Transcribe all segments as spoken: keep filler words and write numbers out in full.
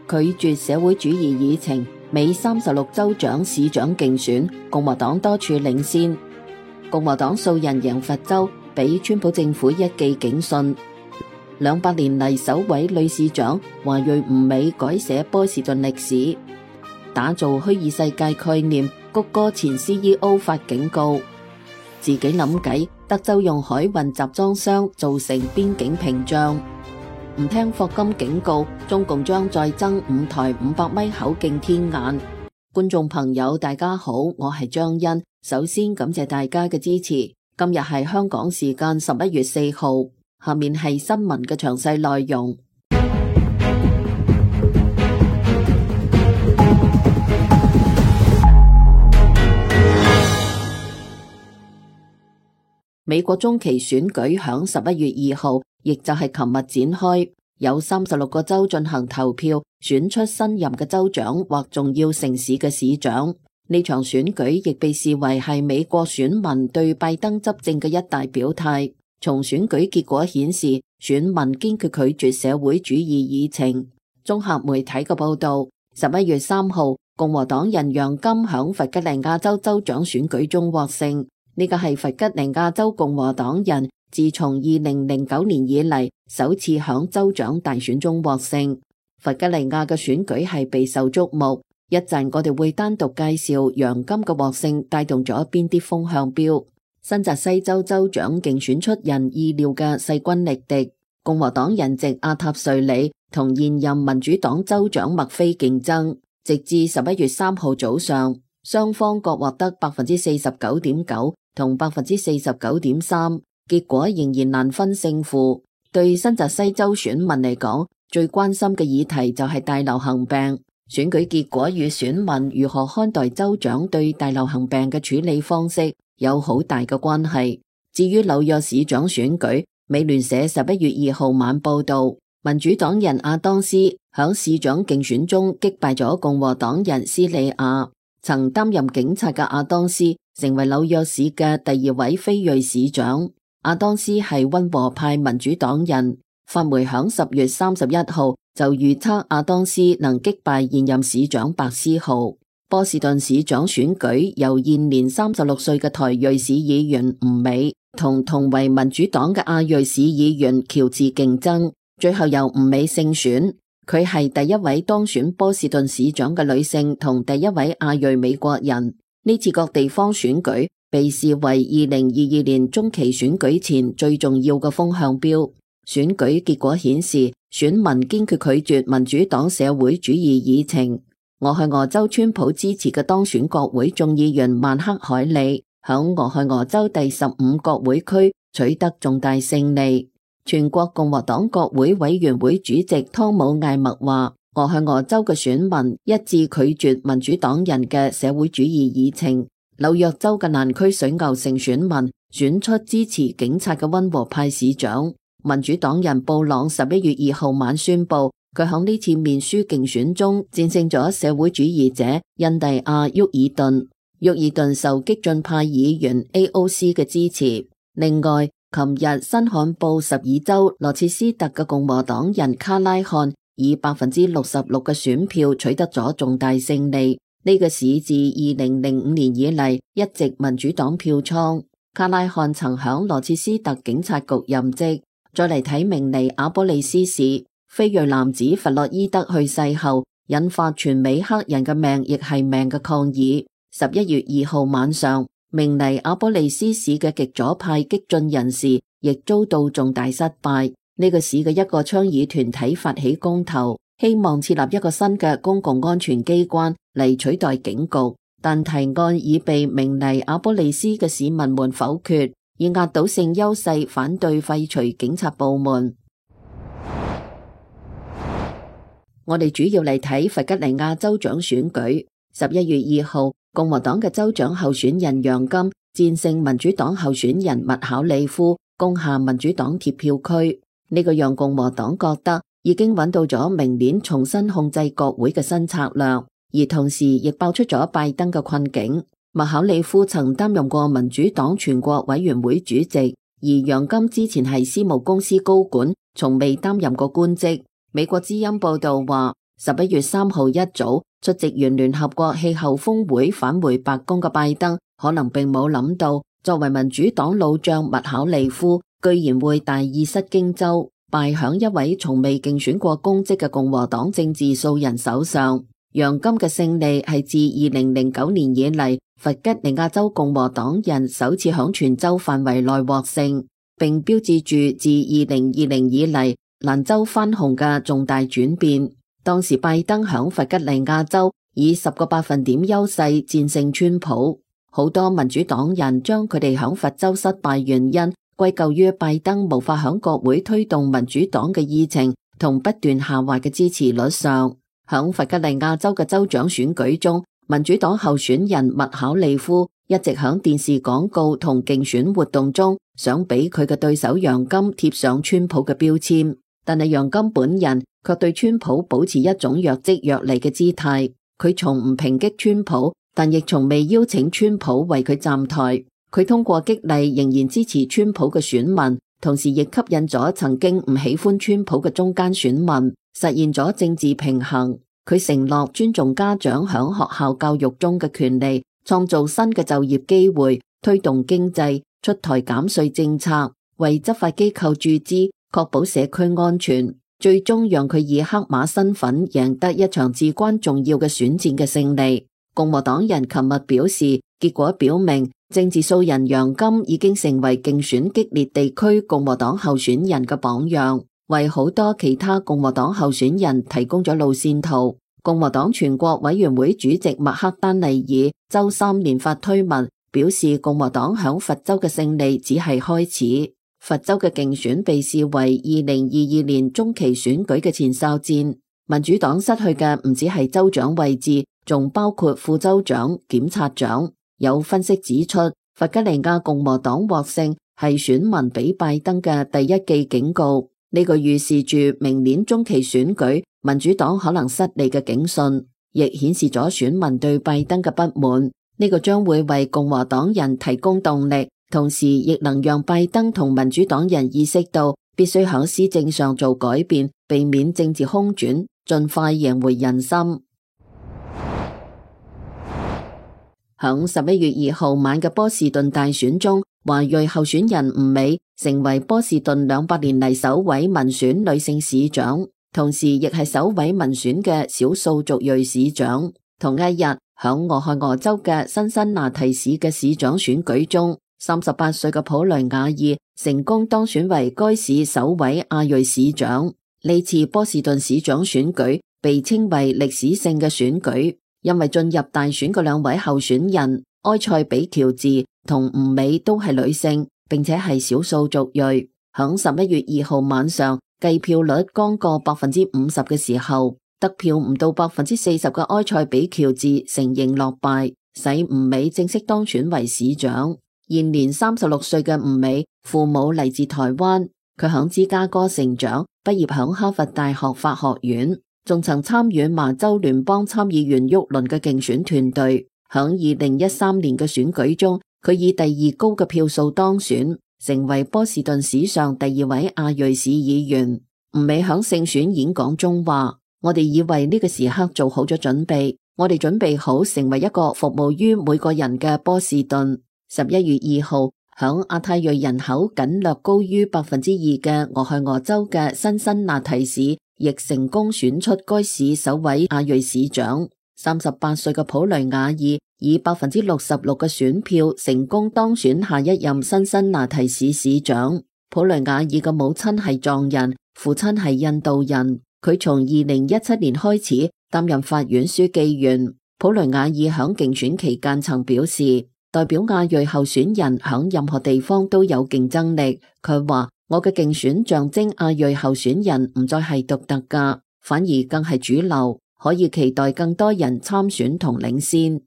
拒絕社會主義議程，美三十六州長市長競選，共和黨多處領先。共和黨數人贏佛州，俾川普政府一記警訊。兩百年嚟首位女市長華裔吳美改寫波士頓歷史。打造虛擬世界概念，谷歌前 C E O 發警告，自己諗計，德州用海運集裝箱造成邊境屏障。唔聽霍金警告，中共將再增五台五百米口徑天眼。觀眾朋友大家好，我係張欣，首先感謝大家嘅支持。今日係香港時間十一月四號，下面係新聞嘅詳細內容。美國中期選舉響十一月二號，亦就係琴日展開，有三十六個州進行投票，選出新任嘅州長或重要城市嘅市長。呢場選舉亦被視為係美國選民對拜登執政嘅一大表態。從選舉結果顯示，選民堅決拒絕社會主義議程。綜合媒體嘅報道，十一月三號，共和黨人楊金響弗吉尼亞州州長選舉中獲勝。呢個係弗吉尼亞州共和黨人自從二零零九年以嚟首次響州長大選中獲勝。弗吉尼亞嘅選舉係備受矚目，一陣我哋會單獨介紹楊金嘅獲勝帶動咗邊啲風向標。新澤西州州長競選出人意料嘅勢均力敵，共和黨人藉阿塔瑞里同現任民主黨州長麥菲競爭，直至十一月三號早上，雙方各獲得百分之四十九點九同百分之四十九點三，結果仍然難分勝負。對新澤西州選民嚟講，最關心嘅議題就係大流行病。選舉結果與選民如何看待州長對大流行病嘅處理方式有好大嘅關係。至於紐約市長選舉，美聯社十一月二號晚報道，民主黨人阿當斯響市長競選中擊敗咗共和黨人斯里亞。曾擔任警察嘅阿當斯成為紐約市嘅第二位非裔市長。阿當斯係溫和派民主黨人。法媒響十月三十一號就預測阿當斯能擊敗現任市長白思豪。波士頓市長選舉由現年三十六歲嘅台裔市議員吳美同同為民主黨嘅亞裔市議員喬治競爭，最後由吳美勝選。佢係第一位當選波士頓市長嘅女性同第一位亞裔美國人。呢次各地方選舉被視為二零二二年中期選舉前最重要嘅風向標。選舉結果顯示，選民堅決拒絕民主黨社會主義議程。俄亥俄州川普支持嘅當選國會眾議員曼克凱利響俄亥俄州第十五國會區取得重大勝利。全國共和黨國會委員會主席湯姆艾默話，俄亥俄州嘅選民一致拒絕民主黨人嘅社會主義議程。紐約州嘅蘭區水牛城選民選出支持警察嘅溫和派市長。民主黨人布朗十一月二號晚宣布，佢響呢次面書競選中戰勝咗社會主義者印第亞沃爾頓。沃爾頓受激進派議員 A O C 嘅支持。另外，琴日新罕布什爾州羅切斯特嘅共和黨人卡拉漢以百分之六十六嘅選票取得咗重大勝利。呢個市自二零零五年以嚟一直民主黨票倉。卡拉漢曾響羅切斯特警察局任職。再嚟睇明尼阿波利斯市，非裔男子弗洛伊德去世後，引發全美黑人嘅命亦係命嘅抗議。十一月二號晚上，明尼阿波利斯市嘅極左派激進人士亦遭到重大失敗。呢個市嘅一個倡議團體發起公投，希望設立一個新嘅公共安全機關嚟取代警局，但提案已被明尼阿波利斯嘅市民們否決。以壓倒性優勢反對廢除警察部門。我哋主要嚟睇弗吉尼亞州長選舉。十一月二號，共和黨嘅州長候選人楊金戰勝民主黨候選人麥考里夫，攻下民主黨鐵票區。呢個讓共和黨覺得已經揾到咗明年重新控制國會嘅新策略，而同時亦爆出咗拜登嘅困境。麥考里夫曾擔任過民主黨全國委員會主席，而楊金之前係私募公司高管，從未擔任過官職。美國之音報道話，十一月三號一早出席完聯合國氣候峰會返回白宮嘅拜登，可能並冇諗到，作為民主黨老將麥考利夫，居然會大意失荊州，敗響一位從未競選過公職嘅共和黨政治素人手上。楊金嘅勝利係自二零零九年以嚟，弗吉尼亞州共和黨人首次響全州範圍內獲勝，並標誌住自二零二零以嚟蘭州翻紅嘅重大轉變。當時拜登響弗吉尼亞州以十個百分點優勢戰勝川普，好多民主黨人將佢哋響佛州失敗原因歸咎於拜登無法響國會推動民主黨嘅議程同不斷下滑嘅支持率上。響弗吉尼亞州嘅州長選舉中，民主黨候選人麥考利夫一直響電視廣告同競選活動中想俾佢嘅對手楊金貼上川普嘅標籤，但係楊金本人卻對川普保持一種若即若離嘅姿態。佢從唔抨擊川普，但亦從未邀請川普為佢站台。佢通過激勵仍然支持川普嘅選民，同時亦吸引咗曾經唔喜歡川普嘅中間選民，實現咗政治平衡。佢承諾尊重家長響學校教育中嘅權利，創造新嘅就業機會，推動經濟，出台減稅政策，為執法機構注資，確保社區安全，最終讓佢以黑馬身份贏得一場至關重要嘅選戰嘅勝利。共和黨人琴日表示，結果表明政治素人楊金已經成為競選激烈地區共和黨候選人嘅榜樣，為好多其他共和黨候選人提供咗路線圖。共和黨全國委員會主席麥克丹尼爾周三連發推文，表示共和黨響佛州嘅勝利只係開始。佛州嘅競選被視為二零二二年中期選舉嘅前哨戰，民主黨失去嘅唔止係州長位置，仲包括副州長、檢察長。有分析指出，弗吉尼亞共和黨獲勝係選民俾拜登嘅第一記警告，呢個預示住明年中期選舉民主黨可能失利嘅警訊，亦顯示咗選民對拜登嘅不滿。呢個將會為共和黨人提供動力，同時亦能讓拜登同民主黨人意識到必須喺施政上做改變，避免政治空轉，盡快贏回人心。響十一月二號晚嘅波士頓大選中，華裔候選人吳美成為波士頓兩百年嚟首位民選女性市長，同時亦係首位民選嘅少數族裔市長。同一日，響俄亥俄州嘅辛辛那提市嘅市長選舉中，三十八歲嘅普雷雅爾成功當選為該市首位亞裔市長。呢次波士頓市長選舉被稱為歷史性嘅選舉，因為進入大選嘅兩位候選人埃塞比喬治同吳美都係女性，並且係少數族裔。響十一月二號晚上，計票率剛過百分之五十嘅時候，得票唔到百分之四十嘅埃塞比喬治承認落敗，使吳美正式當選為市長。現年三十六歲嘅吳美，父母嚟自台灣，佢響芝加哥成長，畢業響哈佛大學法學院，仲曾參與麻州聯邦參議員沃倫嘅競選團隊。響二零一三年嘅選舉中，佢以第二高嘅票數當選，成為波士頓史上第二位亞裔市議員。吳美響勝選演講中話：我哋以為呢個時刻做好咗準備，我哋準備好成為一個服務於每個人嘅波士頓。十一月二號，響亞太裔人口僅略高於百分之二嘅俄亥俄州嘅辛辛那提市，亦成功選出該市首位亞裔市長。三十八歲嘅普雷雅爾以百分之六十六嘅選票成功當選下一任辛辛那提市市長。普雷雅爾嘅母親係藏人，父親係印度人。佢從二零一七年開始擔任法院書記員。普雷雅爾響競選期間曾表示，代表亞裔候選人響任何地方都有競爭力。佢話：我嘅競選象徵亞裔候選人唔再係獨特噶，反而更係主流，可以期待更多人參選同領先。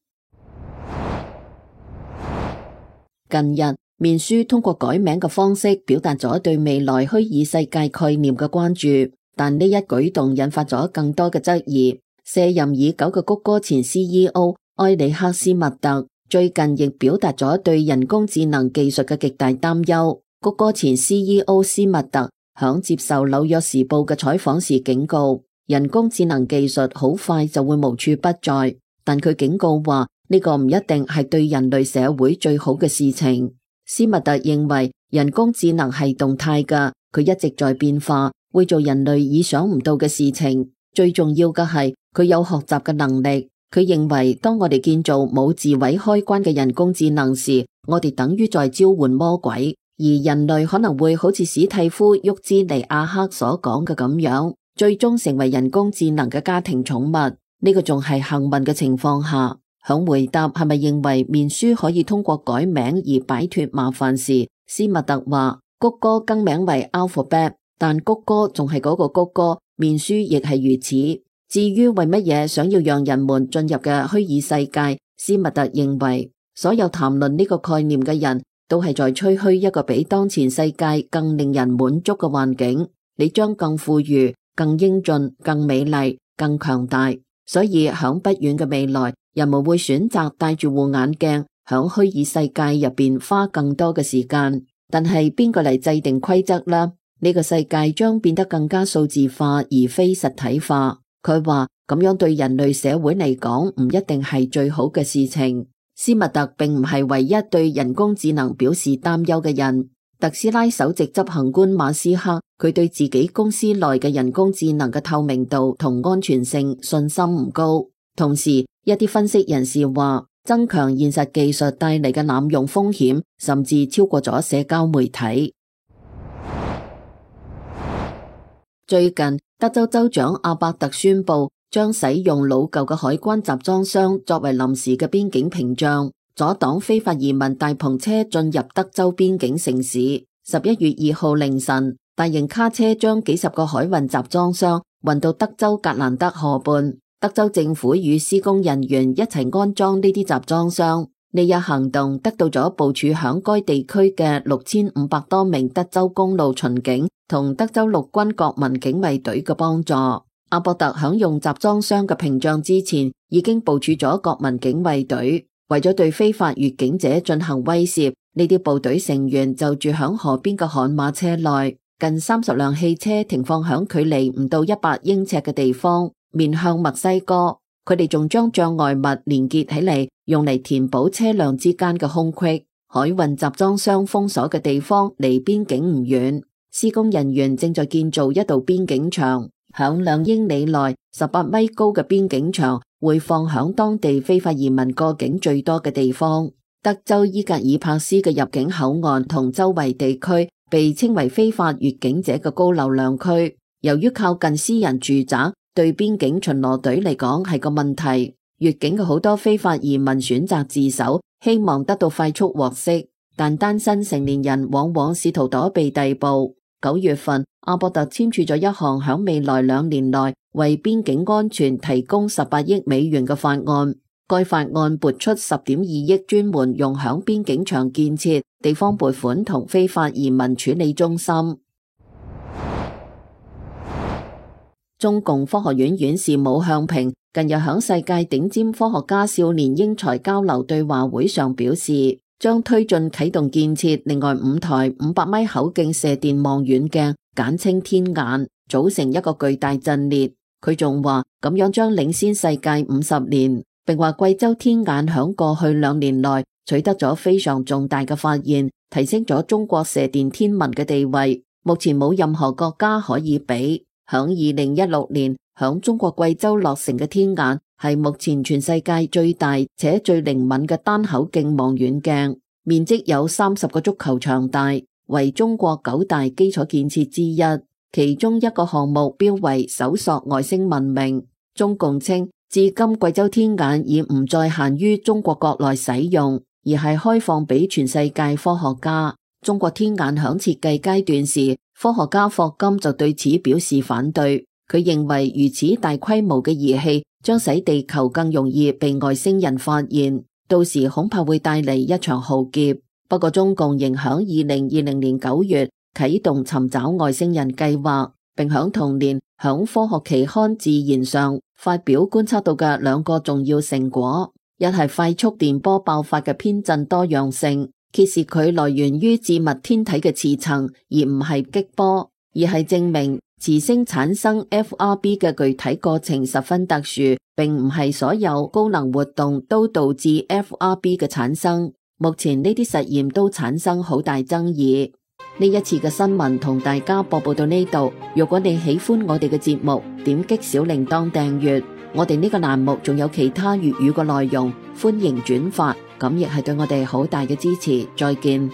近日，面書通過改名嘅方式表達咗對未來虛擬世界概念嘅關注，但呢一舉動引發咗更多嘅質疑。卸任已久嘅谷歌前 C E O 埃里克斯密特最近亦表達咗對人工智能技術嘅極大擔憂。谷歌前 C E O 斯密特響接受紐約時報嘅採訪時警告，人工智能技術好快就會無處不在，但佢警告話呢個唔一定係對人類社會最好嘅事情。斯密特認為人工智能係動態㗎，佢一直在變化，會做人類意想唔到嘅事情。最重要嘅係佢有學習嘅能力。佢認為當我哋建造冇自毀開關嘅人工智能時，我哋等於在召喚魔鬼，而人類可能會好似史蒂夫·沃茲尼亞克所講嘅咁樣，最終成為人工智能嘅家庭寵物。呢個仲係幸運嘅情況下。響回答係咪認為面書可以通過改名而擺脫麻煩時，斯密特話谷歌更名為 Alphabet， 但谷歌仲係嗰個谷歌，面書亦係如此。至於為乜嘢想要讓人們進入嘅虛擬世界，斯密特認為所有談論呢個概念嘅人都係在吹噓一個比當前世界更令人滿足嘅環境，你將更富裕、更英俊、更美麗、更強大。所以響不遠嘅未來，人們會選擇戴住護眼鏡響虛擬世界入邊花更多嘅時間。但係邊個嚟制定規則呢？呢個世界將變得更加數字化而非實體化。佢話咁樣對人類社會嚟講唔一定係最好嘅事情。斯密特並唔係唯一對人工智能表示擔憂嘅人。特斯拉首席執行官馬斯克，佢對自己公司內嘅人工智能嘅透明度同安全性信心唔高。同時，一啲分析人士話，增強現實技術帶嚟嘅濫用風險，甚至超過咗社交媒體。最近，德州州長阿伯特宣布將使用老舊嘅海關集裝箱作為臨時嘅邊境屏障，阻擋非法移民大篷車進入德州邊境城市。十一月二號凌晨，大型卡車將幾十個海運集裝箱運到德州格蘭德河畔，德州政府與施工人員一齊安裝呢啲集裝箱。呢一行動得到咗部署響該地區嘅六千五百多名德州公路巡警同德州陸軍國民警衛隊嘅幫助。阿伯特響用集裝箱嘅屏障之前，已經部署咗國民警衛隊，為咗對非法越境者進行威懾，呢啲部隊成員就住響河邊嘅悍馬車內，近三十輛汽車停放響距離唔到一百英尺嘅地方，面向墨西哥。佢哋仲將障礙物連結起嚟，用嚟填補車輛之間嘅空隙。海運集裝箱封鎖嘅地方離邊境唔遠，施工人員正在建造一道邊境牆，響兩英里內十八米高嘅邊境牆會放響當地非法移民過境最多嘅地方。德州伊格爾帕斯嘅入境口岸同周圍地區被稱為非法越境者嘅高流量區，由於靠近私人住宅，對邊境巡邏隊嚟講係個問題。越境嘅好多非法移民選擇自首，希望得到快速獲釋，但單身成年人往往試圖躲避逮捕。九月份，阿伯特簽署咗一項響未來兩年內為邊境安全提供十八億美元嘅法案。該法案撥出十點二億專門用響邊境牆建設、地方撥款同非法移民處理中心。中共科學院院士武向平近日響世界頂尖科學家少年英才交流對話會上表示，將推進啟動建設另外五台五百米口徑射電望遠鏡，簡稱天眼，組成一個巨大陣列。佢仲話咁樣將領先世界五十年，並話貴州天眼響過去兩年內取得咗非常重大嘅發現，提升咗中國射電天文嘅地位，目前冇任何國家可以比。響二零一六年，響中國貴州落成嘅天眼係目前全世界最大且最靈敏嘅單口徑望遠鏡，面積有三十個足球場大，為中國九大基礎建設之一。其中一個項目標為搜索外星文明。中共稱，至今貴州天眼已唔再限於中國國內使用，而係開放俾全世界科學家。中國天眼響設計階段時，科學家霍金就對此表示反對。佢認為如此大規模嘅儀器將使地球更容易被外星人發現，到時恐怕會帶嚟一場浩劫。不過中共仍響二零二零年九月啟動尋找外星人計劃，並響同年響科學期刊《自然》上發表觀測到嘅兩個重要成果，一係快速電波爆發嘅偏振多樣性，揭示佢來源於致密天體嘅磁層，而唔係激波；二係證明磁星產生 F R B 嘅具體過程十分特殊，並唔係所有高能活動都導致 F R B 嘅產生。目前呢啲實驗都產生好大爭議。呢一次嘅新聞同大家播報到呢度。如果你喜歡我哋嘅節目，點擊小鈴鐺訂閱。我哋呢個欄目仲有其他粵語嘅內容，歡迎轉發，咁亦係對我哋好大嘅支持。再見。